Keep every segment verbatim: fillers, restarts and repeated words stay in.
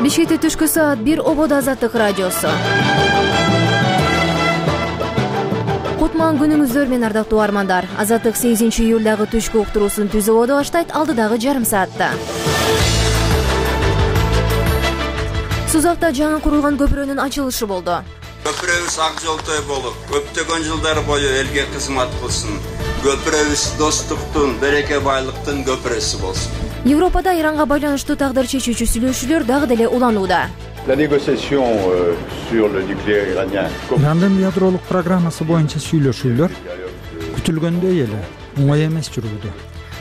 Бишкекте түшкү саат бир ободо Азаттык радиосу. Кутман күнүңүздөр менен ардактуу армандар. Азаттык сегизинчи июлдагы түшкү уктуруусун түз ободо баштайт алдыдагы жарым саатта. Сузакта жаңы курулган көпүрөнүн ачылышы болду. Көпүрөбүз ак жолтой болуп, көптөгөн жылдар бою элге кызмат кылсын. Көпүрөбүз достуктун, береке байлыктын көпүрөсү болсун. Европада Иранга байланыштуу тагдыр чечүүчү сүйлөшүүлөр дагы деле уланууда. La négociation euh, sur le nucléaire iranien. Ирандын ядролук программасы боюнча сүйлөшүүлөр күтүлгөндөй эле оңой эмес жүрүүдө.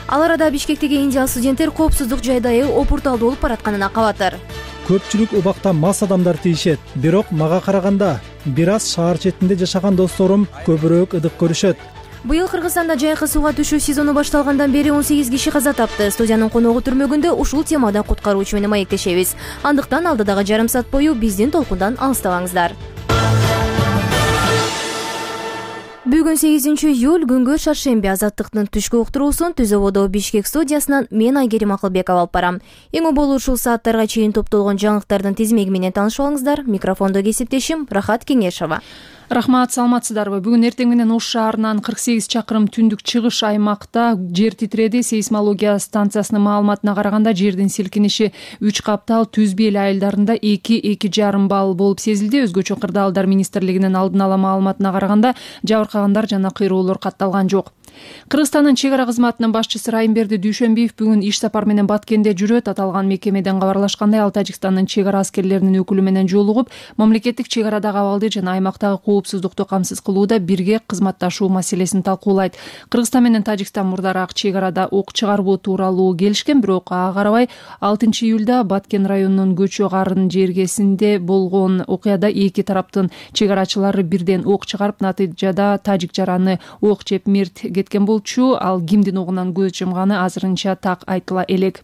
Ал арада Бишкектеги индиялык студенттер коопсуздук жайдайы опурталдуу болуп баратканына кабатыр. Көпчүлүк убакта мас адамдар тийишет, бирок мага караганда бир аз шаар четинде жашаган досторум көбүрөөк ыдык көрүшөт. Быйыл Кыргызстанда жайкы сууга түшүү сезону башталгандан бери он сегиз киши каза тапты. Студиянын коногу түрмөгүндө ушул темада куткаруучу менен маектешебиз. Андыктан алдыдагы жарым саат бою биздин толкундан алыстабаңыздар. Бүгүн сегизинчи июль күнгө шаршемби. Азаттыктын түшкү уктуруусун түз ободо Бишкек студиясынан мен Айгерим Акылбекова алып барам. Эң оболу ушул сааттарга чейин топтолгон жаңылыктардын тизмеги менен таанышып алыңыздар. Микрофондо кесиптешим Рахат Кеңешова. Рахмат, саламатсыздарбы? Бүгүн эртең менен Ош шаарынан кырк сегиз чакырым түндүк чыгыш аймакта жер титиреди. Сейсмология станциясынын маалыматына караганда жердин силкиниши үч каптал Түз Бел айылдарында эки эки жарым балл болуп сезилди. Өзгөчө кырдаалдар министрлигинин алдын ала маалыматына караганда жабыркагандар жана кыйроолор катталган жок. Кыргызстандын чек ара кызматынын башчысы Райымберди Дүйшөнбиев бүгүн иш сапар менен Баткенде жүрөт. Аталган мекемеден кабарлашкандай, ал Тажикстандын чек ара аскерлеринин өкүлү менен жолугуп, мамлекеттик чек арадагы абалды жана аймактагы коопсуздукту камсыз кылууда бирге кызматташуу маселесин талкуулайт. Кыргызстан менен Тажикстан мурдараак чек арада ок чыгарбоо тууралуу келишкен, бирок ага карабай алтынчы июлда Баткен районунун Көчө Карын жергесинде болгон окуяда эки тараптын чек арачылары бирден ок чыгарып, натыйжада тажик жараны ок жеп мерт кеткен болчу. Ал кимдин огунан көз жумганы азырынча так айтыла элек.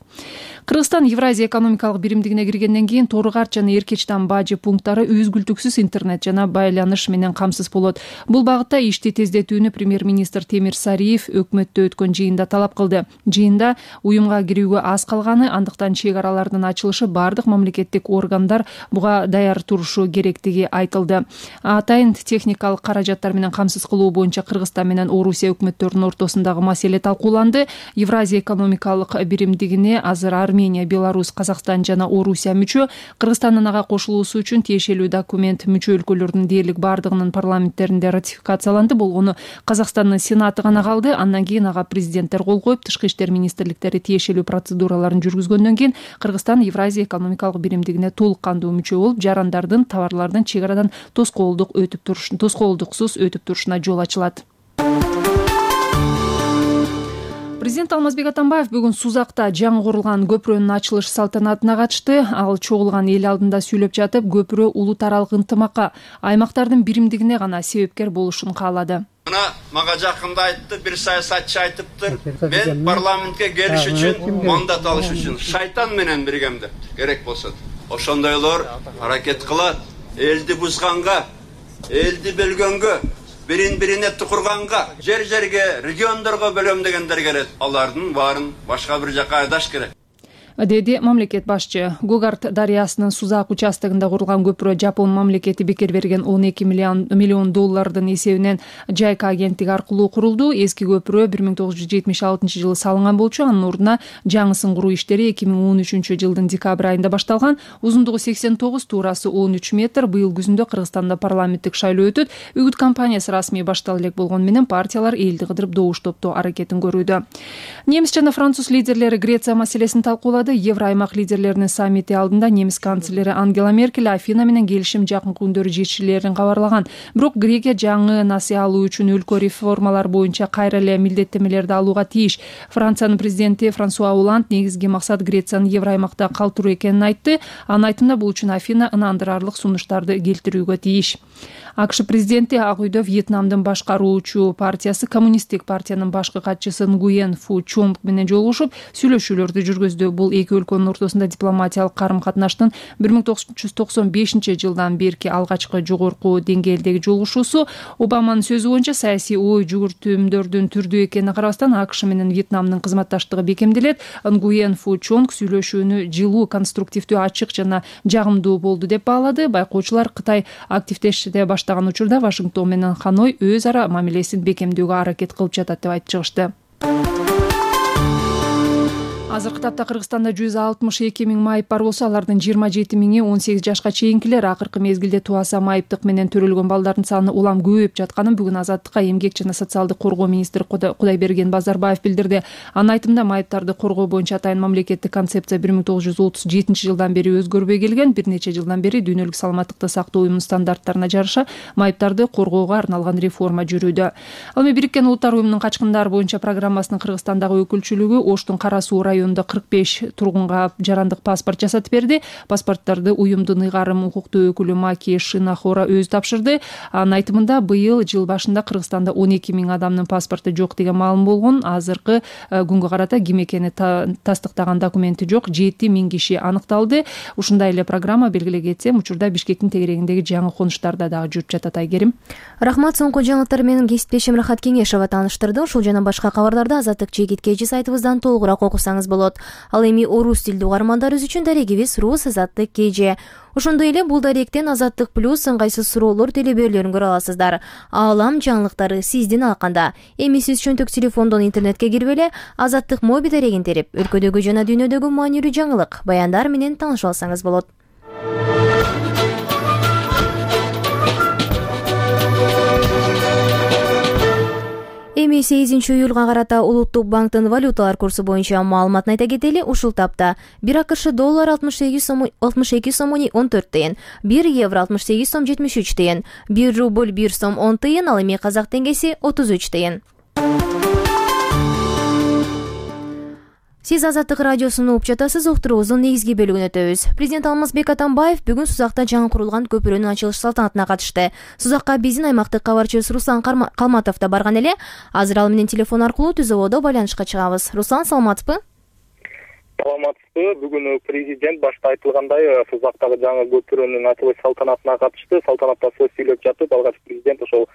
Кыргызстан Евразия экономикалык биримдигине киргенден кийин Тору-Карт жана Эркечтан бажы пункттары үзгүлтүксүз интернет жана байланыш менен камсыз болот. Бул багытта ишти тездетүүнү премьер-министр Темир Сариев өкмөттө өткөн жыйында талап кылды. Жыйында уюмга кирүүгө аз калганы, андыктан чек аралардын ачылышы бардык мамлекеттик органдар буга даяр турушу керектиги айтылды. Атайын техникалык каражаттар менен камсыз кылуу боюнча Кыргызстан менен Орусия өкмөттөрүнүн ортосундагы маселе талкууланды. Евразия экономикалык биримдигине азыр Армения, Беларусь, Казакстан жана Орусия мүчө. Кыргызстандын ага кошулуусу үчүн тиешелүү документ мүчө өлкөлөрдүн дээрлик бардыгынын парламенттеринде ратификацияланды. Болгону Казакстандын Сенаты гана калды. Андан кийин ага президенттер кол коюп, тышкы иштер министрликтери тиешелүү процедураларын жүргүзгөндөн кийин Кыргызстан Евразия экономикалык биримдигине толук кандуу мүчө болуп, жарандардын товарлардын чек арадан тоскоолдук өтүп туруш тоскоолдуксуз өтүп турушуна жол ачылат. Президент Алмазбек Атамбаев бүгүн Сузакта жаңы курулган көпүрөнүн ачылыш салтанатына катышты. Ал чогулган эл алдында сүйлөп жатып, көпүрө улут аралык ынтымакка, аймактардын биримдигине гана себепкер болушун каалады. Мына мага жакында айтты, бир саясатчы айтыптыр, мен парламентке келиш үчүн, мандат алыш үчүн шайтан менен биргем деп, керек болсо. Ошондойлор аракет кылат, элди бузганга, элди бөлгөнгө, бирин-бирине тукурганга, жер-жерге, региондорго бөлөм дегендер келет. Алардын баарын башка бир жакка айдаш керек, деди мамлекет башчы. Гогарт дарыясынын Сузак участогунда курулган көпүрө Жапон мамлекети бекер берген он эки миллион доллардын эсебинен Жайка агенттиги аркылуу курулду. Эски көпүрө бир миң тогуз жүз жетимиш алтынчы жылы салынган болчу. Анын ордуна жаңысын куруу иштери эки миң он үчүнчү жылдын декабрь айында башталган. Узундугу сексен тогуз, туурасы он үч метр. Быйыл күзүндө Кыргызстанда парламенттик шайлоо өтөт. Үгүт кампаниясы расмий баштала элек болгону менен партиялар элди кыдырып добуштоптоо аракетин көрүүдө. Немис жана француз лидерлери Греция маселесин талкуулады. Евроаймак лидерлеринин саммити алдында немис канцлери Ангела Меркель Афина менен келишим жакынкы күндөрү жетишилерин кабарлаган. Бирок Грекия жаңы насыя алуу үчүн өлкө реформалар боюнча кайра эле милдеттемелерди алууга тийиш. Франциянын президенти Франсуа Оланд негизги максат Грецияны Евроаймакта калтыруу экенин айтты. Анын айтымында бул үчүн Афина ынандырарлык сунуштарды келтирүүгө тийиш. АКШ президенти Ак үйдө Вьетнамдын башкаруучу партиясы Коммунисттик партиянын башкы катчысы Нгуен Фу Чонг менен жолугушуп сүйлөшүүлөрдү жүргүздү. Бул эки өлкөнүн ортосунда дипломатиялык карым-катнаштын бир миң тогуз жүз токсон бешинчи жылдан берки алгачкы жогорку деңгээлдеги жолугушуусу. Обаманын сөзү боюнча саясий ой жүгүртүүмдөрдүн түрдүү экенине карабастан АКШ менен Вьетнамдын кызматташтыгы бекемделет. Нгуен Фу Чонг сүйлөшүүнү жылуу, конструктивдүү, ачык жана жагымдуу болду деп баалады. Байкоочулар Кытай активдеште баштаган учурда Вашингтон менен Ханой өз ара мамилесин бекемдөөгө аракет кылып жатат деп айтып чыгышты. Азыркы тапта Кыргызстанда жүз алтымыш эки миң майып бар болсо, алардын жыйырма жети миңи он сегиз жашка чейинкилер. Акыркы мезгилде туаса майыптык менен төрөлгөн балдардын саны улам көбөйүп жатканын бүгүн Азаттыкка эмгек жана социалдык коргоо министри Кудайберген Базарбаев билдирди. Анын айтымында майыптарды коргоо боюнча атайын мамлекеттик концепция бир миң тогуз жүз отуз жетинчи жылдан бери өзгөрбөй келген. Бир нече жылдан бери дүйнөлүк саламаттыкты сактоо уюмунун стандарттарына жараша майыптарды коргоого арналган реформа жүрүүдө. Ал эми Бириккен Улуттар уюмунун качкындар боюнча программасынын Кыргызстандагы өкүлчүлүгү Оштун Кара Суу районунда кырк беш тургунга жарандык паспорт жасатып берди. Паспорттарды уюмдун ыйгарым укуктуу өкүлү Маки Шинахора өзү тапшырды. Анын айтымында быйыл жыл башында Кыргызстанда он эки миң адамдын паспорту жок деген маалым болгон. Азыркы күнгө карата ким экени тастыктаган документи жок жети миң киши аныкталды. Ушундай эле программа белгилей кетсем, учурда Бишкектин тегерегиндеги жаңы конуштарда дагы жүрүп жатат. Айгерим. Рахмат. Соңку жаңылыктар менен кесиптешим Рахат Кеңешова тааныштырды. Ушул жана башка кабарларды Азаттык Чегит Кежи сайтыбыздан толугураак окусаңыз болот. Ал эми орус тилдүү угармандарыбыз үчүн дарегибиз Рус Азаттык Кежи. Ошондой эле бул даректен Азаттык плюс ыңгайсыз суроолор телебөрлөрүн көрө аласыздар. Аалам жаңылыктары сиздин алканда. Эми сиз чөнтөк телефондон интернетке кирип эле Азаттык моби дарегин терип, өлкөдөгү жана дүйнөдөгү маанилүү жаңылык, баяндар менен таанышып алсаңыз болот. Эми сегизинчи июлга карата Улуттук банктын валюталар курсу боюнча маалыматын айта кетели. Ушул тапта бир АКШ доллар алтымыш эки сом он төрт тыйын, бир евро алтымыш сегиз сом жетимиш үч тыйын, бир рубль бир сом он тыйын, ал эми казак теңгеси отуз үч тыйын. Сиз Азаттык радиосуну угуп жатасыз. Уктуруубуздун негизги бөлүгүнө өтөбүз. Президент Алмазбек Атамбаев бүгүн Сузакта жаңы курулган көпүрөнүн ачылыш салтанатына катышты. Сузакка биздин аймактык кабарчыбыз Руслан Калматов да барган эле. Азыр ал менен телефон аркылуу түз абалда байланышка чыгабыз. Руслан, саламатсызбы? Саламатсызбы. Бүгүн президент башта айтылгандай Сузактагы жаңы көпүрөнүн ачылыш салтанатына катышты. Салтанатта сөз сүйлөп жатып, алгач президент ошол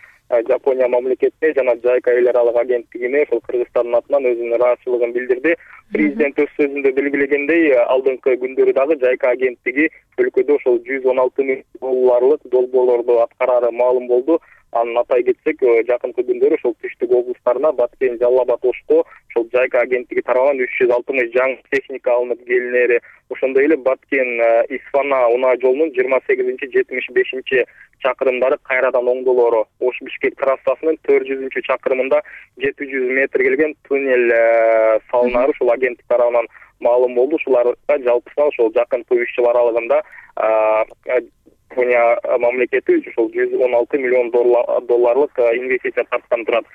Жапония мамлекетине жана Жайка эл аралык агенттигине ошол Кыргызстандын атынан өзүнүн ыраазычылыгын билдирди. Президент өз сөзүндө белгилегендей, алдыңкы күндөрү дагы Жайка агенттиги өлкөдө ошол жүз он алты миң долларлык долбоорлорду аткарары маалым болду. Анын атай кетсек, жакынкы күндөрү ошол түштүк облустарына Баткен, Жалал Абад, Ошко ошол Жайка агенттиги тарабынан үч жүз алтымыш жаңы техника алынып келинери. Ошондой эле Баткен Исфана унаа жолунун жыйырма сегизинчи жетимиш бешинчи чакырымдары кайрадан оңдолору, Ош Бишкек трассасынын төрт жүзүнчү чакырымында жети жүз метр келген туннель салынары ушул агенттик тарабынан маалым болду. Ушуларга жалпысынан ошол жакынкы үч жыл аралыгында Жапония мамлекети ошол жүз он алты миллион долларлык инвестиция тарткан турат.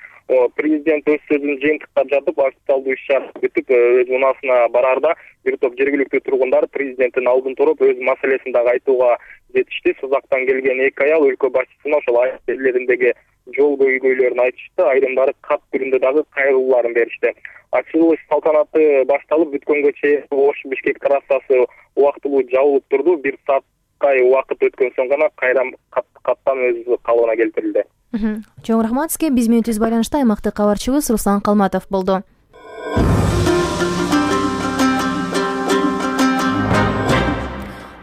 Президент өз сөзүн жыйынтыктап жатып, официалдуу иш-чара бүтүп, өз унаасына барарда бир топ жергиликтүү тургундар президенттин алдын туруп өз маселесин дагы айтууга жетишти. Сузактан келген эки аял өлкө башчысына ошол айыл жерлериндеги жол көйгөйлөрүн айтышты, айрымдары кат түрүндө дагы кайрылууларын беришти. Ачылыш салтанаты башталып бүткөнгө чейин Ош Бишкек трассасы убактылуу жабылып турду. Бир сааттай убакыт өткөн соң гана кайра каттан өз калыбына келтирилди. Чоң рахмат сизге. Биз менен түз байланышта аймактык кабарчыбыз Руслан Калматов болду.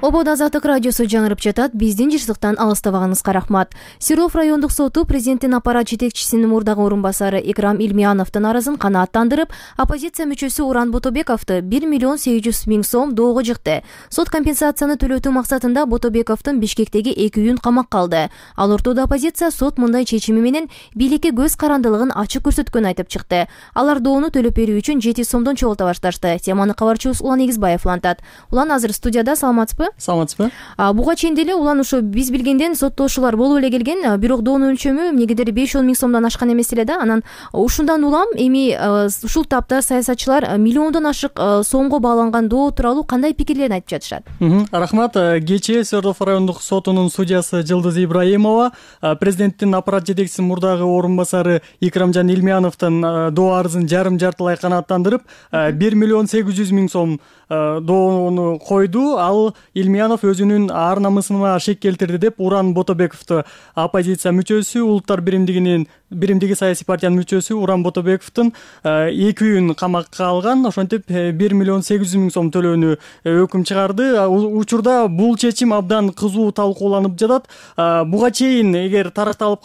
Ободо Азаттык радиосу жаңырып жатат. Биздин жырсыктан алыстабаганыңызга рахмат. Свердлов райондук соту президенттин аппарат жетекчисинин мурдагы орун басары Икрам Илмияновдун арызын канааттандырып, оппозиция мүчөсү Уран Ботобековду бир миллион сегиз жүз миң сом доого жыкты. Сот компенсацияны төлөтүү максатында Ботобековдун Бишкектеги эки үйүн камакка алды. Ал ортодо оппозиция сот мындай чечими менен бийликке көз карандылыгын ачык көрсөткөнүн айтып чыкты. Алар доону төлөп берүү үчүн жети сомдон чогулта башташты. Теманы кабарчыбыз Улан Эгизбаев улантат. Улан, азыр студияда, саламатсызбы? саламатсызбы? Буга чейин деле улан ошо биз билгенден соттолушуулар болуп эле келген, бирок доонун өлчөмү эмнегедир беш он миң сомдон ашкан эмес эле да. Анан ушундан улам эми ушул тапта саясатчылар миллиондон ашык сомго бааланган доо тууралуу кандай пикирлерин айтып жатышат? Рахмат. Кечээ Свердлов райондук сотунун судьясы Жылдыз Ибраимова президенттин аппарат жетекчиси мурдагы орун басары Икрамжан Илмияновдун доо арызын жарым жартылай канааттандырып бир миллион сегиз жүз миң сом доону койду. Ал Илмиянов өзүнүн ар намысына шек келтирди деп Уран Ботобековду, оппозиция мүчөсү, улуттар биримдигинин биримдиги саясий партиянын мүчөсү Уран Ботобековдун эки үйүн камакка алган. Ошентип бир миллион сегиз жүз миң сом төлөөнү өкүм чыгарды. Учурда бул чечим абдан кызуу талкууланып жатат. Буга чейин эгер таракталып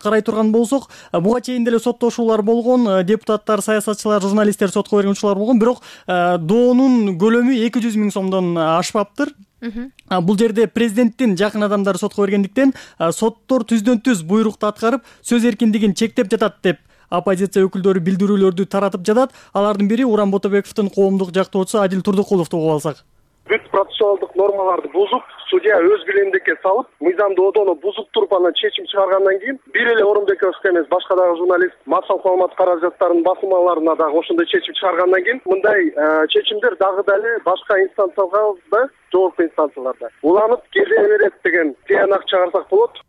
карай турган болсок, буга чейин деле соттошуулар болгон, депутаттар, саясатчылар, журналисттер сотко берген учурлар болгон, бирок доонун көлөмү эки жүз миң сомдон ашпаптыр. Бул жерде президенттин жакын адамдары сотко бергендиктен соттор түздөн түз буйрукту аткарып, сөз эркиндигин чектеп жатат деп оппозиция өкүлдөрү билдирүүлөрдү таратып жатат. Алардын бири Уран Ботобековдун коомдук жактоочусу Адил Турдукуловду угуп алсак. Бүт процессуалдык нормаларды бузуп, судья өз билемдикке салып, мыйзам доодону бузуп туруп анан чечим чыгаргандан кийин бир эле Орунбековский эмес, башка дагы журналист массалык маалымат каражаттарынын басылмаларына дагы ошондой чечим чыгаргандан кийин мындай чечимдер дагы дале башка инстанцияларда, жоопку инстанцияларда уланып келе берет деген тыянак чыгарсак болот.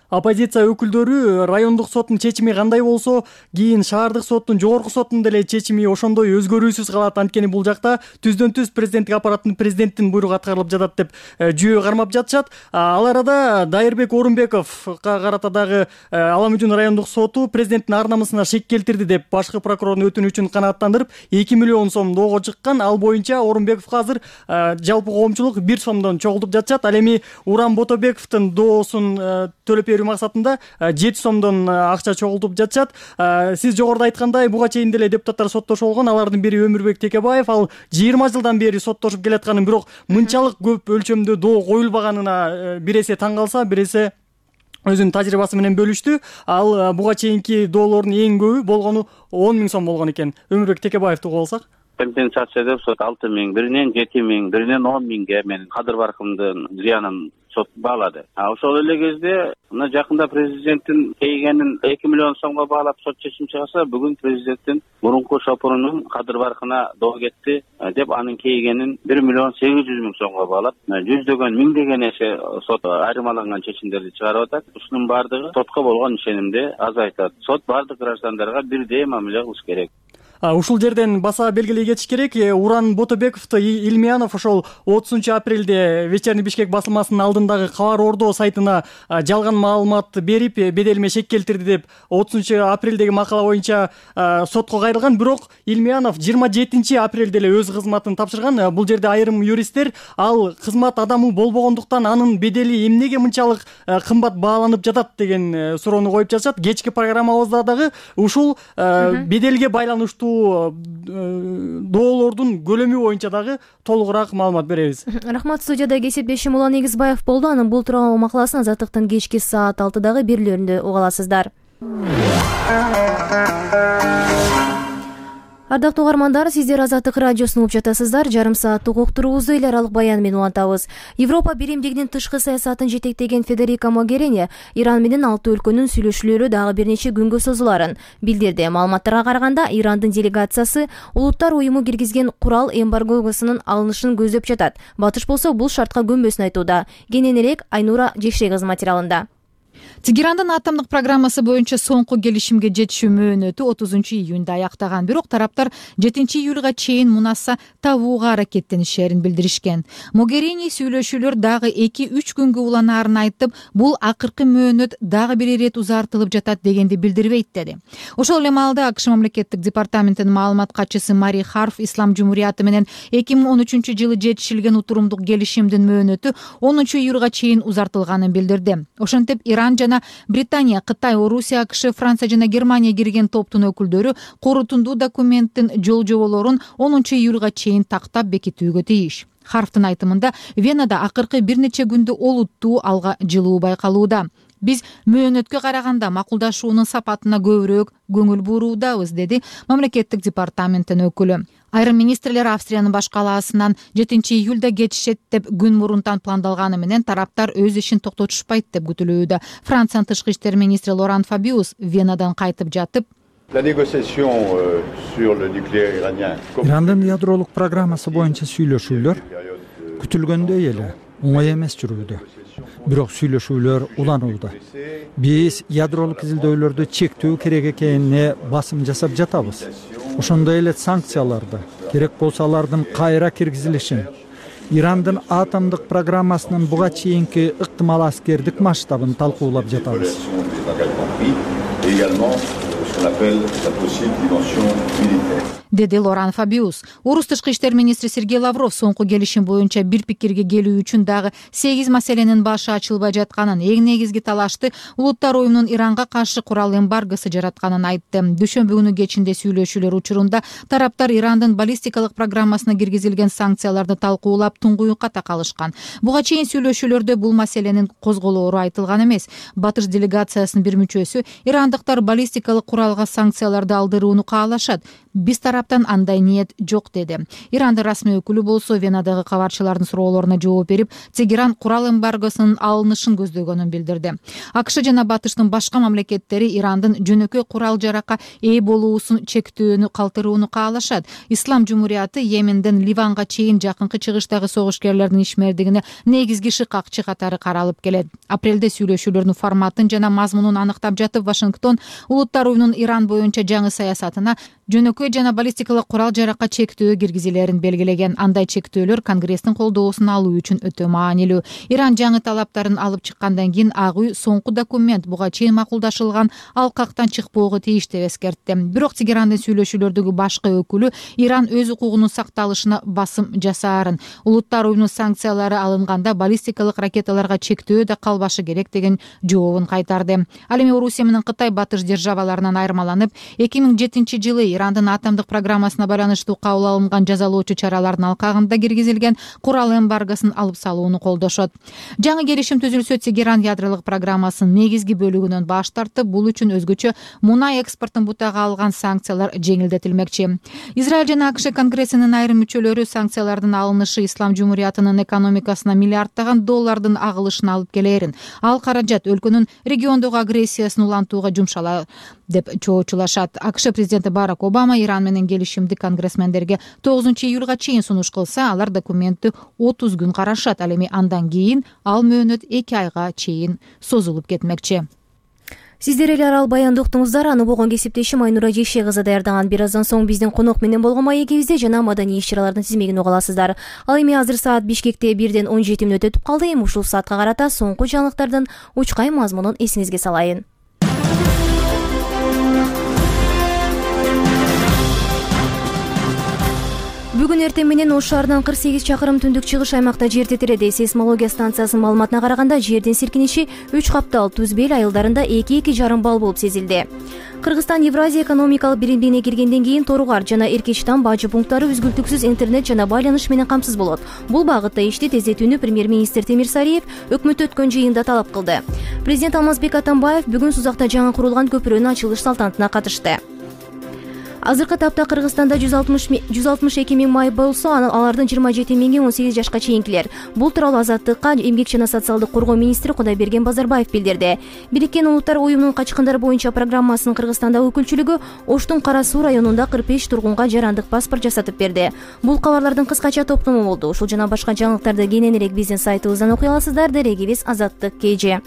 Оппозиция өкүлдөрү райондук соттун чечими кандай болсо, кийин шаардык соттун, жогорку соттун деле чечими ошондой өзгөрүүсүз калат. Анткени бул жакта түздөн түз президенттик аппараттын президенттин буйругу аткарылып жатат деп жүйө кармап жатышат. Ал арада Дайырбек Орунбековго карата дагы Ала Мөжүн райондук соту президенттин ар намысына шек келтирди деп башкы прокурордун өтүнүчүн канааттандырып эки миллион сом доого чыккан. Ал боюнча Орунбековго азыр жалпы коомчулук бир сомдон чогултуп жатышат. Ал эми Уран Ботобековдун доосун төлөп берүү максатында жети сомдон акча чогултуп жатышат. Сиз жогоруда айткандай, буга чейин деле депутаттар соттошуп болгон. Алардын бири Өмүрбек Текебаев. Ал жыйырма жылдан бери соттошуп келатканын, бирок мынчалык көп өлчөмдө доо коюлбаганына бир эсе таң калса, бир эсе өзүнүн тажрыйбасы менен бөлүштү. Ал буга чейинки доолордун эң көбү болгону он миң сом болгон экен. Өмүрбек Текебаевди угуп алсак. Компенсация деп сот алты миң, биринен жети миң, биринен он миңге менин кадыр баркымдын зыянын сот баалады. Ошол эле кезде мына жакында президенттин кейгенин эки миллион сомго баалап сот чечим чыгарса, бүгүн президенттин мурунку шопурунун кадыр баркына доо кетти деп анын кейгенин бир миллион сегиз жүз миң сомго баалап, жүздөгөн миңдеген эсе сот айырмаланган чечимдерди чыгарып атат. Ушунун баардыгы сотко болгон ишенимди азайтат. Сот баардык граждандарга бирдей мамиле кылыш керек. Ушул жерден баса белгилей кетиш керек. Уран Ботобековду Илмиянов ошол отузунчу апрелде Вечерний Бишкек басылмасынын алдындагы Кабар Ордо сайтына жалган маалымат берип, беделиме шек келтирди деп отузунчу апрелдеги макала боюнча сотко кайрылган. Бирок Илмиянов жыйырма жетинчи апрелде эле өз кызматын тапшырган. Бул жерде айрым юристтер ал кызмат адамы болбогондуктан анын бедели эмнеге мынчалык кымбат бааланып жатат деген суроону коюп жатышат. Кечки программабызда дагы ушул беделге байланыштуу доолордун көлөмү боюнча дагы толугураак маалымат беребиз. Рахмат. Студияда кесиптешим Улан Эгизбаев болду. Анын бул тууралуу макаласын Азаттыктын кечки саат алтыдагы берүүлөрүндө уга аласыздар. Ардактуу угармандар, сиздер Азаттык радиосун угуп жатасыздар. Жарым сааттык уктуруубузду эл аралык баян менен улантабыз. Европа биримдигинин тышкы саясатын жетектеген Федерика Могерини Иран менен алты өлкөнүн сүйлөшүүлөрү дагы бир нече күнгө созуларын билдирди. Маалыматтарга караганда, Ирандын делегациясы Улуттар уюму киргизген курал эмбаргосунун алынышын көздөп жатат. Батыш болсо бул шартка көнбөсүн айтууда. Кененирээк Айнура Жекшегиз материалында. Тегерандын атомдук программасы боюнча соңку келишимге жетишүү мөөнөтү отузунчу июнда аяктаган. Бирок тараптар жетинчи июлга чейин мунаса табууга аракеттенишерин билдиришкен. Могерини сүйлөшүүлөр дагы эки үч күнгө уланаарын айтып, бул акыркы мөөнөт дагы бир ирет узартылып жатат дегенди билдирбейт деди. Ошол эле маалда АКШ мамлекеттик департаментинин маалымат катчысы Мари Харф Ислам жумурияты менен эки миң он үчүнчү жылы жетишилген утурумдук келишимдин мөөнөтү онунчу июлга чейин узартылганын билдирди. Ошентип Иран жана Британия, Кытай, Орусия, АКШ, Франция жана Германия кирген топтун өкүлдөрү корутундуу документтин жол жоболорун онунчу июлга чейин тактап бекитүүгө тийиш. Харфтын айтымында, Венада акыркы бир нече күндө олуттуу алга жылуу байкалууда. Биз мөөнөткө караганда макулдашуунун сапатына көбүрөөк көңүл буруудабыз, деди мамлекеттик департаменттин өкүлү. Айрым министрлер Австриянын баш калаасынан жетинчи июлда кетишет деп күн мурунтан пландалганы менен тараптар өз ишин токтотушпайт деп күтүлүүдө. Франциянын тышкы иштер министри Лоран Фабиус Венадан кайтып жатып, Ирандын ядролук программасы боюнча сүйлөшүүлөр күтүлгөндөй эле оңой эмес жүрүүдө. Бирок сүйлөшүүлөр уланууда. Биз ядролук изилдөөлөрдү чектөө керек экенине басым жасап жатабыз. Ошондой эле санкцияларды, керек болсо алардын кайра киргизилишин, Ирандын атомдук программасынын буга чейинки ыктымал аскердик масштабын талкуулап жатабыз. деди Лоран Фабиус. Орус тышкы иштер министри Сергей Лавров соңку келишим боюнча бир пикирге келүү үчүн дагы сегиз маселенин башы ачылбай жатканын, эң негизги талашты Улуттар уюмунун Иранга каршы курал эмбаргосу жаратканын айтты. Дүйшөмбү күнү кечинде сүйлөшүүлөр учурунда тараптар Ирандын баллистикалык программасына киргизилген санкцияларды талкуулап туңгуюкка такалышкан. Буга чейин сүйлөшүүлөрдө бул маселенин козголоору айтылган эмес. Батыш делегациясынын бир мүчөсү ирандыктар баллистикалык куралга санкцияларды алдырууну каалашат. Биз тараптан андай ниет жок деди. Ирандын расмий өкүлү болсо Венадагы кабарчылардын суроолоруна жооп берип, Тегеран курал эмбаргосунун алынышын көздөгөнүн билдирди. АКШ жана Батыштын башка мамлекеттери Ирандын жөнөкөй курал жаракка ээ болуусун чектөөнү калтырууну каалашат. Ислам Жумурияты Йеменден Ливанга чейин жакынкы чыгыштагы согушкерлердин ишмердигине негизги шыкакчы катары каралып келет. Апрелде сүйлөшүүлөрдүн форматын жана мазмунун аныктап жатып, Вашингтон Улуттар уюмунун Иран боюнча жаңы саясатына жөнөкөй жана баллистикалык курал жаракка чектөө киргизилерин белгилеген. Андай чектөөлөр Конгресстин колдоосун алуу үчүн өтө маанилүү. Иран жаңы талаптарын алып чыккандан кийин Ак үй соңку документ буга чейин макулдашылган алкактан чыкпоого тийиш деп эскертти. Бирок Тегерандын сүйлөшүүлөрдөгү башкы өкүлү Иран өз укугунун сакталышына басым жасаарын, Улуттар уюмунун санкциялары алынганда баллистикалык ракеталарга чектөө да калбашы керек деген жообун кайтарды. Ал эми Орусия менен Кытай батыш державаларынан айырмаланып, эки миң жетинчи жылы Ирандын атомдук программасына байланыштуу кабыл алынган жазалоочу чаралардын алкагында киргизилген курал эмбаргосын алып салууну колдошот. Жаңы келишим түзүлсө, Тегеран ядролук программасынын негизги бөлүгүнөн баш тартып, бул үчүн өзгөчө мунай экспортун бутага алган санкциялар жеңилдетилмекчи. Израиль жана АКШ Конгрессинин айрым мүчөлөрү санкциялардын алынышы Ислам Жумуриятынын экономикасына миллиарддаган доллардын агылышын алып келерин, ал каражат өлкөнүн региондогу агрессиясын улантууга жумшалат деп чоочулашат. АКШ президенти Барак Обама Иран менен келишимди конгрессмендерге тогузунчу июлга чейин сунуш кылса, алар документти отуз күн карашат. Ал эми андан кийин ал мөөнөт эки айга чейин созулуп кетмекчи. Сиздер эле арал баянды уктуңуздар. Аны болгон кесиптешим Айнура Жейше кызы даярдаган. Бир аздан соң биздин конок менен болгон маегибизде жана маданий иш-чаралардын тизмегин уга аласыздар. Ал эми азыр саат Бишкекте бирден он жети мүнөт өтүп калды. Эми ушул саатка карата соңку жаңылыктардын учкай мазмунун эсиңизге салайын. Бүгүн эртең менен Ош шаарынан кырк сегиз чакырым түндүк чыгыш аймакта жер титиреди. Сейсмология станциясынын маалыматына караганда, жердин силкиниши үч каптал Туз Бел айылдарында эки эки жарым балл болуп сезилди. Кыргызстан Евразия экономикалык биримдигине киргенден кийин Торугар жана Эркечтан бажы пункттары үзгүлтүксүз интернет жана байланыш менен камсыз болот. Бул багытта ишти тездетүүнү премьер-министр Темир Сариев өкмөттө өткөн жыйында талап кылды. Президент Алмазбек Атамбаев бүгүн Сузакта жаңы курулган көпүрөнүн ачылыш салтанатына катышты. Азыркы тапта Кыргызстанда жүз алтымыш эки миң май болсо, алардын жыйырма жети миңи он сегиз жашка чейинкилер. Бул тууралуу Азаттыкка эмгек жана социалдык коргоо министри Кудайберген Базарбаев билдирди. Бириккен Улуттар уюмунун качкындар боюнча программасынын Кыргызстандагы өкүлчүлүгү Оштун Кара Суу районунда кырк беш тургунга жарандык паспорт жасатып берди. Бул кабарлардын кыскача топтому болду. Ушул жана башка жаңылыктарды кененирээк биздин сайтыбыздан окуй аласыздар. Дерегибиз Азаттык кей же.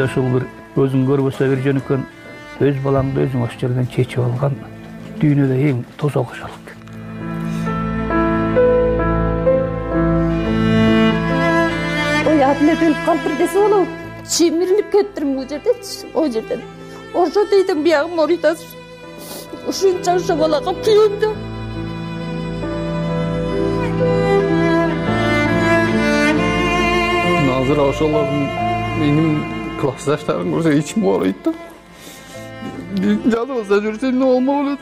Ушул бир өзүң көрбөсө бир жөнөкөн өз балаңды өзүң ошол жерден чечип алган дүйнөдө эң тозок ошолук. Ой, атына төлүп калыптыр десе болобу? Чемиринип кетиптирмин бул жердечи, о жерден. Ошо дейдим биягым орuytaz. Ушунча ошо балага күйөм да. Азыр ошолордун менин классташтарым көрсө ичим ооруйт да. Жазбаса жүрсө эмне болмок элет.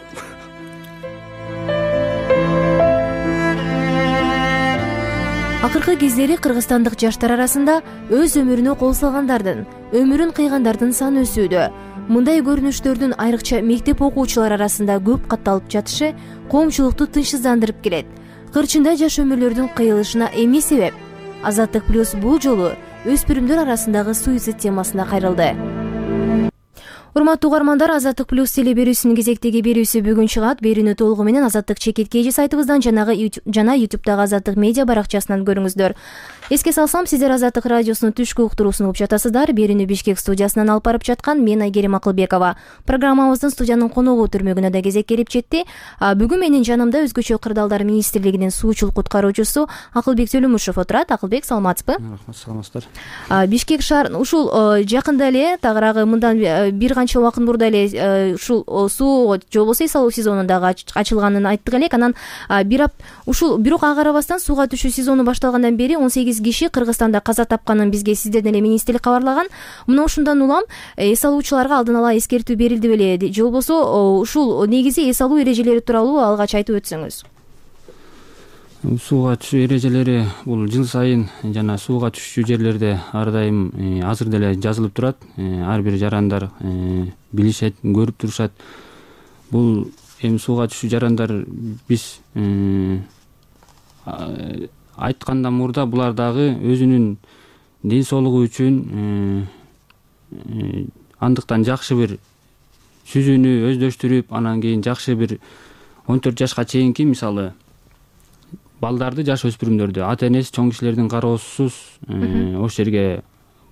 Акыркы кездери кыргызстандык жаштар арасында өз өмүрүнө кол салгандардын, өмүрүн кыйгандардын саны өсүүдө. Мындай көрүнүштөрдүн айрыкча мектеп окуучулары арасында көп катталып жатышы коомчулукту тынчсыздандырып келет. Кырчында жаш өмүрлөрдүн кыйылышына эми себеп. Азаттык плюс бул жолу өспүрүмдөр арасындагы суицид темасына кайрылды. Урматтуу угармандар, Азаттык плюс теле берүүсүнүн кезектеги берүүсү бүгүн чыгат. Берүүнү толугу менен Азаттык чекит кей сайтыбыздан жанагы жана ютубтагы Азаттык медиа баракчасынан көрүңүздөр. Эске салсам, сиздер Азаттык радиосунун түшкү уктуруусун угуп жатасыздар. Берүүнү Бишкек студиясынан алып барып жаткан мен Айгерим Акылбекова. Программабыздын студиянын коногу түрмөгүнө да кезек келип жетти. Бүгүн менин жанымда Өзгөчө кырдаалдар министрлигинин суучул куткаруучусу Акылбек Төлөмүшев отурат. Акылбек, саламатсызбы? Рахмат, саламатсыздар. Бишкек шаар ушул жакында эле, тагыраагы мындан бир канча убакыт мурда эле ушул суу же болбосо эс алуу сезону дагы ачылганын айттык элек. Анан бир ушул бирок ага карабастан сууга түшүү сезону башталгандан бери он сегиз киши Кыргызстанда каза тапканын бизге сиздерден эле министрлик кабарлаган. Мына ушундан улам эс алуучуларга алдын ала эскертүү берилди беле, же болбосо ушул негизи эс алуу эрежелери тууралуу алгач айтып өтсөңүз. Сууга түшүү эрежелери бул жыл сайын жана сууга түшчү жерлерде ар дайым азыр деле жазылып турат. Ар бир жарандар билишет, көрүп турушат. Бул эми сууга түшүү жарандар биз айткандан мурда булар дагы өзүнүн ден соолугу үчүн андыктан жакшы бир сүзүүнү өздөштүрүп, анан кийин жакшы бир он төрт жашка чейинки, мисалы балдарды, жаш өспүрүмдөрдү ата энеси, чоң кишилердин кароосусуз ошол жерге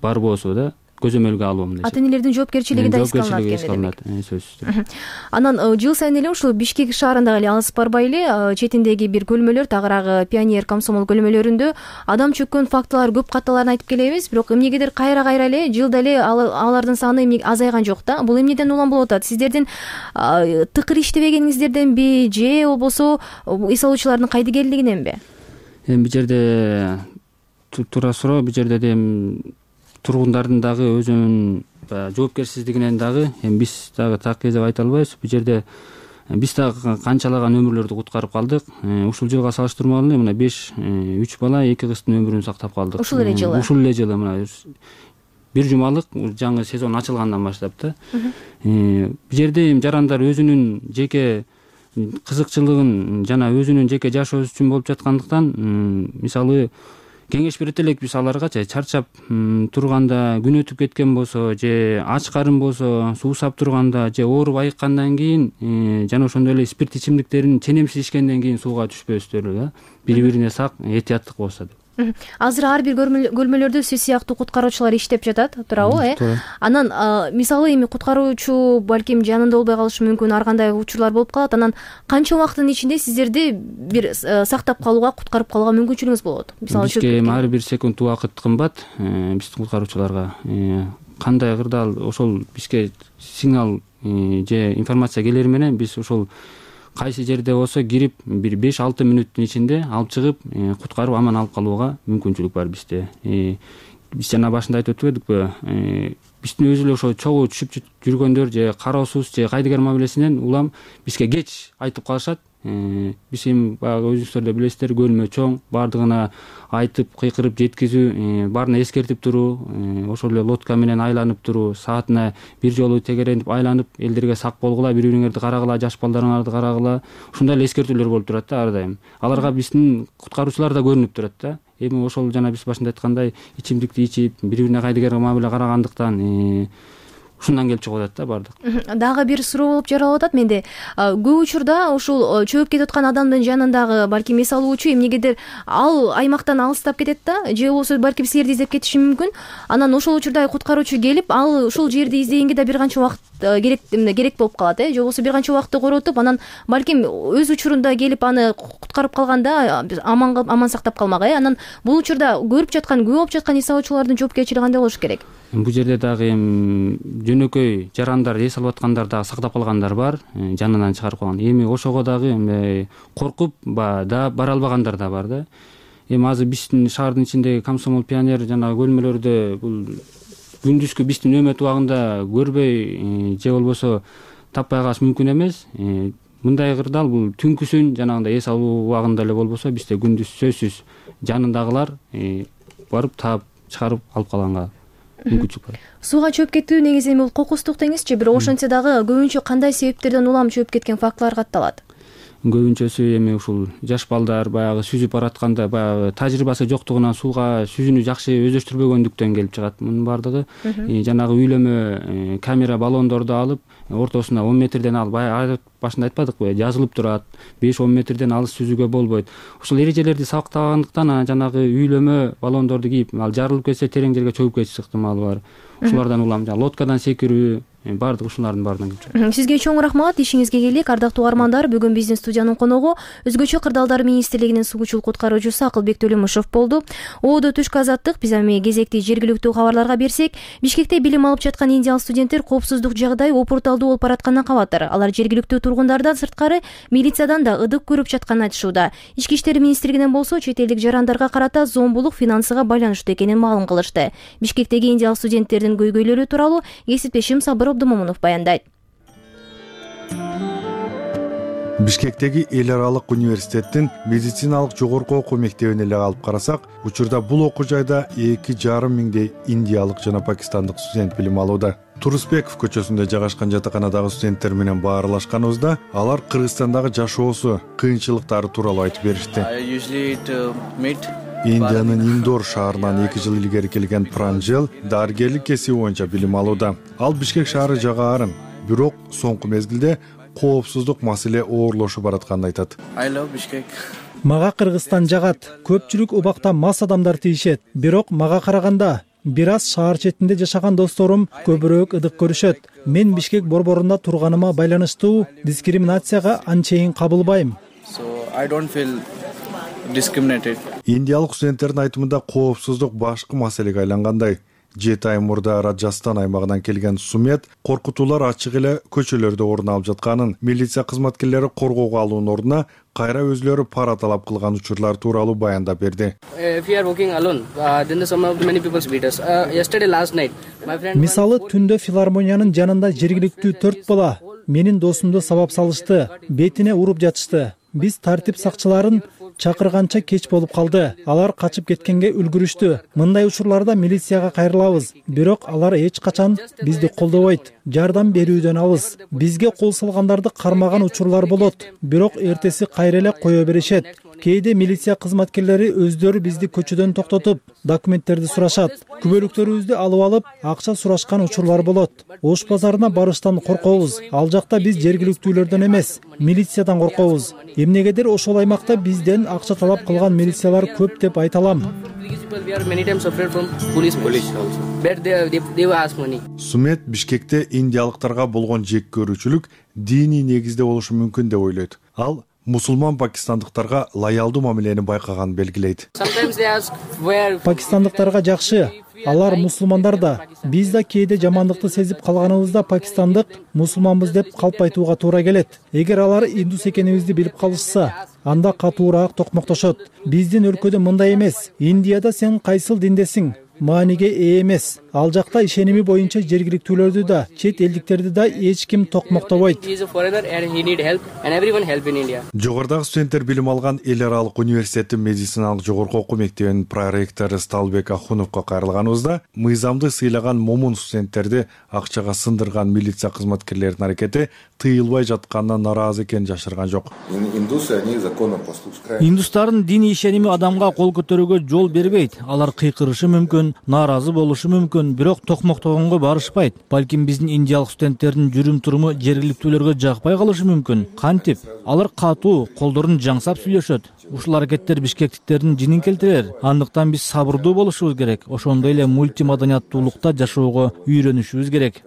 барбоосу да көзөмөлгө алуу мындай. Ата энелердин жоопкерчилиги да эске алынат экен. Сөзсүз. Анан жыл сайын эле ушул Бишкек шаарында эле алыс барбай эле четиндеги бир көлмөлөр, тагыраагы Пионер, Комсомол көлмөлөрүндө адам чөккөн фактылар көп катталарын айтып келебиз, бирок эмнегедир кайра-кайра эле жылда эле алардын саны азайган жок да. Бул эмнеден улам болуп атат? Сиздердин тыкыр иштебегениңиздерденби же болбосо эс алуучулардын кайдыгерлигиненби? Эми бул жерде туура суроо, бул жерде эми тургундардын дагы өзүнүн жоопкерсиздигинен дагы эми биз дагы так деп айта албайбыз. Бул жерде биз дагы канчалаган өмүрлөрдү куткарып калдык. Ушул жылга салыштырмалуу эле мына беш үч бала, эки кыздын өмүрүн сактап калдык. Ушул эле жылы. Ушул эле жылы мына бир жумалык жаңы сезон ачылгандан баштап да. Бул жерде эми жарандар өзүнүн жеке кызыкчылыгын жана өзүнүн жеке жашоосу үчүн болуп жаткандыктан, мисалы кеңеш берет элек биз аларгачы чарчап турганда, күн өтүп кеткен болсо же ач карын болсо, суу сап турганда же ооруп айыккандан кийин жана ошондой эле спирт ичимдиктерин ченемсиз ичкенден кийин сууга түшпөстөр да, бири-бирине сак этияттык болсо деп. Азыр ар бир көлмөлөрдө сиз сыяктуу куткаруучулар иштеп жатат, туурабы, э? Анан мисалы эми куткаруучу балким жанында болбой калышы мүмкүн, ар кандай учурлар болуп калат. Анан канча убакыттын ичинде сиздерди бир сактап калууга, куткарып калууга мүмкүнчүлүгүңүз болот? Мисалы бизге ар бир секунд убакыт кымбат, биздин куткаруучуларга. Кандай кырдаал ошол бизге сигнал же информация келери менен биз ошол кайсы жерде болсо кирип бир беш алты мүнөттүн ичинде алып чыгып куткарып аман алып калууга мүмкүнчүлүк бар бизде. Биз жана башында айтып өтүп эдикпи, биздин өзү эле ошо чогуу түшүп жүргөндөр же кароосуз же кайдыгер мамилесинен улам бизге кеч айтып калышат. Биз эми баягы өзүңүздөр да билесиздер, көлмө чоң, баардыгына айтып, кыйкырып жеткизүү, баарына эскертип туруу, ошол эле лодка менен айланып туруу, саатына бир жолу тегеренип айланып, элдерге сак болгула, бири-бириңерди карагыла, жаш балдарыңарды карагыла, ушундай эле эскертүүлөр болуп турат да ар дайым. Аларга биздин куткаруучулар да көрүнүп турат да. Эми ошол жана биз башында айткандай ичимдикти ичип, бири-бирине кайдыгер мамиле карагандыктан ушундан келип чыгып атат да баардык. Дагы бир суроо болуп жаралып атат менде. Көп учурда ушул чөгүп кетип аткан адамдын жанындагы балким эс алуучу эмнегедир ал аймактан алыстап кетет да, же болбосо балким силерди издеп кетиши мүмкүн. Анан ошол учурда куткаруучу келип, ал ушул жерди издегенге да бир канча убакыт керек керек болуп калат, э? Же болбосо бир канча убакытты коротуп, анан балким өз учурунда келип аны куткарып калганда аман аман сактап калмак, э? Анан бул учурда көрүп жаткан, күбө болуп жаткан эс алуучулардын жоопкерчилиги кандай болуш керек? Бул жерде дагы эми жөнөкөй жарандар, эс алып аткандар дагы сактап калгандар бар, жанынан чыгарып калган. Эми ошого дагы эми коркуп да бара албагандар да бар да. Эми азыр биздин шаардын ичиндеги Комсомол, Пионер жана көлмөлөрдө бул күндүзгү биздин нөөмөт убагында көрбөй же болбосо таппай калыш мүмкүн эмес. мындай кырдаал бул түнкүсүн жанагындай эс алуу убагында эле болбосо бизде күндүз сөзсүз жанындагылар барып таап чыгарып алып калганга мүмкүнчүлүк бар. Сууга чөп кетүү негизи бул кокустук деңизчи, бирок ошентсе дагы көбүнчө кандай себептерден улам чөп кеткен фактылар катталат? Көбүнчөсү эми ушул жаш балдар баягы сүзүп баратканда баягы тажрыйбасы жоктугунан сууга сүзүүнү жакшы өздөштүрбөгөндүктөн келип чыгат. Мунун баардыгы жанагы үйлөмө камера баллондорду алып ортосуна он метрден алып, баягы башында айтпадыкпы, жазылып турат, беш он метрден алыс сүзүүгө болбойт. Ушул эрежелерди сактагандыктан жанагы үйлөмө баллондорду кийип, ал жарылып кетсе терең жерге чөгүп кетиш ыктымалы бар. Ушулардан улам лодкадан секирүү, баардык ушулардын баарынан келип чыгат. Сизге чоң рахмат, ишиңизге келик. Ардактуу угармандар, бүгүн биздин студиянын коногу Өзгөчө кырдаалдар министрлигинин сугучул куткаруучусу Акылбек Төлөмүшев болду. Оодо түшкү азаттык. Биз эми кезекти жергиликтүү кабарларга берсек, Бишкекте билим алып жаткан индиялык студенттер коопсуздук жагдай опурталдуу болуп баратканынан кабатыр. Алар жергиликтүү тургундардан сырткары милициядан да ыдык көрүп жатканын айтышууда. Ички иштер министрлигинен болсо чет элдик жарандарга карата зомбулук финансыга байланыштуу экенин маалым кылышты. Бишкектеги индиялык студенттердин көйгөйлөрү тууралуу кесиптешим Сабыр Абдымомунов баяндайт. Бишкектеги эл аралык университеттин медициналык жогорку окуу мектебине эле алып карасак, учурда бул окуу жайда эки жарым миңдей индиялык жана пакистандык студент билим алууда. Турусбеков көчөсүндө жайгашкан жатаканадагы студенттер менен баарлашканыбызда алар Кыргызстандагы жашоосу, кыйынчылыктары тууралуу айтып беришти. Индиянын Индор шаарынан эки жыл илгери келген Пранжел дарыгерлик кесиби боюнча билим алууда. Ал Бишкек шаары жагаарын, бирок соңку мезгилде коопсуздук маселе оорлошуп баратканын айтат. Мага Кыргызстан жагат. Көпчүлүк убакта мас адамдар тийишет, бирок мага караганда бир аз шаар четинде жашаган досторум көбүрөөк ыдык көрүшөт. Мен Бишкек борборунда турганыма байланыштуу дискриминацияга анчейин кабылбайм. Индиялык студенттердин айтымында коопсуздук башкы маселеге айлангандай. Жети ай мурда Раджастан аймагынан келген Сумет коркутуулар ачык эле көчөлөрдө орун алып жатканын, милиция кызматкерлери коргоого алуунун ордуна кайра өзлөрү пара талап кылган учурлар тууралуу баяндап берди. Мисалы, түндө филармониянын жанында жергиликтүү төрт бала менин досумду сабап салышты, бетине уруп жатышты. Биз тартип сакчыларын чакырганча кеч болуп калды. Алар качып кеткенге үлгүрүштү. Мындай учурларда милицияга кайрылабыз, бирок алар эч качан бизди колдобойт. Жардам берүүдөн алыс. Бизге кол салгандарды кармаган учурлар болот, бирок эртеси кайра эле кое беришет. Кээде милиция кызматкерлери өздөрү бизди көчөдөн токтотуп, документтерди сурашат. Күбөлүктөрүбүздү алып алып, акча сурашкан учурлар болот. Ош базарына барыштан коркобуз. Ал жакта биз жергиликтүүлөрдөн эмес, милициядан коркобуз. Эмнегедир ошол аймакта бизден акча талап кылган милициялар көп деп айта алам. Сумет Бишкекте индиялыктарга болгон жек көрүүчүлүк диний негизде болушу мүмкүн деп ойлойт. Ал мусулман пакистандыктарга лоялдуу мамилени байкаганын белгилейт. Пакистандыктарга жакшы, алар мусулмандар да. Биз да кээде жамандыкты сезип калганыбызда пакистандык мусулманбыз деп калп айтууга туура келет. Эгер алар индус экенибизди билип калышса, анда катуураак токмоктошот. Биздин өлкөдө мындай эмес. Индияда сен кайсыл диндесиң? Мааниге ээ эмес. Ал жакта ишеними боюнча жергиликтүүлөрдү да, чет элдиктерди да эч ким токмоктобойт. Жогорудагы студенттер билим алган эл аралык университеттин медициналык жогорку окуу мектебинин проректору Сталбек Ахуновго кайрылганыбызда, мыйзамды сыйлаган момун студенттерди акчага сындырган милиция кызматкерлеринин аракети тыйылбай жатканына нааразы экенин жашырган жок. Индустардын диний ишеними адамга кол көтөрүүгө жол бербейт. Алар кыйкырышы мүмкүн, нааразы болушу мүмкүн, бирок токмоктогонго барышпайт. Балким биздин индиялык студенттердин жүрүм-туруму жергиликтүүлөргө жакпай калышы мүмкүн. Кантип? Алар катуу, колдорун жаңсап сүйлөшөт. Ушул аракеттер бишкектиктердин жинин келтирер. Андыктан биз сабырдуу болушубуз керек. Ошондой эле мультимаданияттуулукта жашоого үйрөнүшүбүз керек.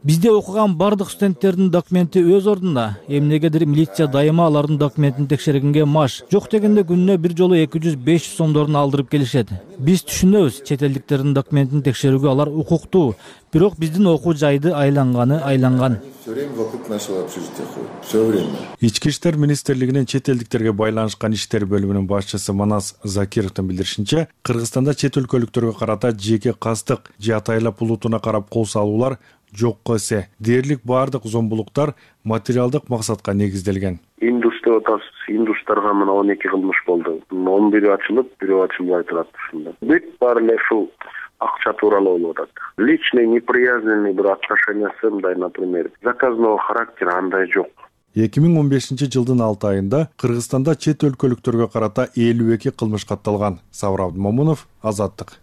Бизде окуган бардык студенттердин документи өз ордунда. Эмнегедир милиция дайыма алардын документин текшергенге маш. Жок дегенде күнүнө бир жолу эки жүз беш жүз сомдорун алдырып келишет. Биз түшүнөбүз, чет элдиктердин документин текшерүүгө алар укуктуу. Бирок биздин окуу жайды айланганы айланган. Ички иштер министрлигинин чет элдиктерге байланышкан иштер бөлүмүнүн башчысы Манас Закировдун билдиришинче, Кыргызстанда чет өлкөлүктөргө карата жеке кастык же атайлап улутуна карап кол салуулар жокко эсе. Дээрлик баардык зомбулуктар материалдык максатка негизделген. Индус деп атабыз. Индустарга мына он эки кылмыш болду. он бири ачылып, бирөө ачылбай турат ушунда. Бүт баары эле ушул акча тууралуу болуп атат. Личный неприязненный бир отношениясы мындай, например, заказного характера андай жок. эки миң он бешинчи жылдын алты айында Кыргызстанда чет өлкөлүктөргө карата элүү эки кылмыш катталган. Сабыр Абдымомунов, Азаттык.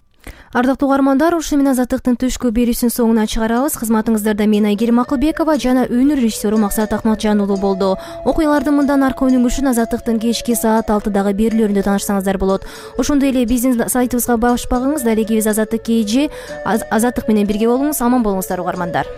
Ардактуу угармандар, ушу менен Азаттыктын түшкү берүүсүн соңуна чыгарабыз. Кызматыңыздарда мен Айгерим Акылбекова жана өнөр режиссеру Максат Акматжан уулу болду. Окуялардын мындан аркы өнүгүшүн Азаттыктын кечки саат алтыдагы берүүлөрүндө таанышсаңыздар болот. Ошондой эле биздин сайтыбызга баш багыңыз. Далегибиз Азаттык кей же Азаттык менен бирге болуңуз. Аман болуңуздар угармандар.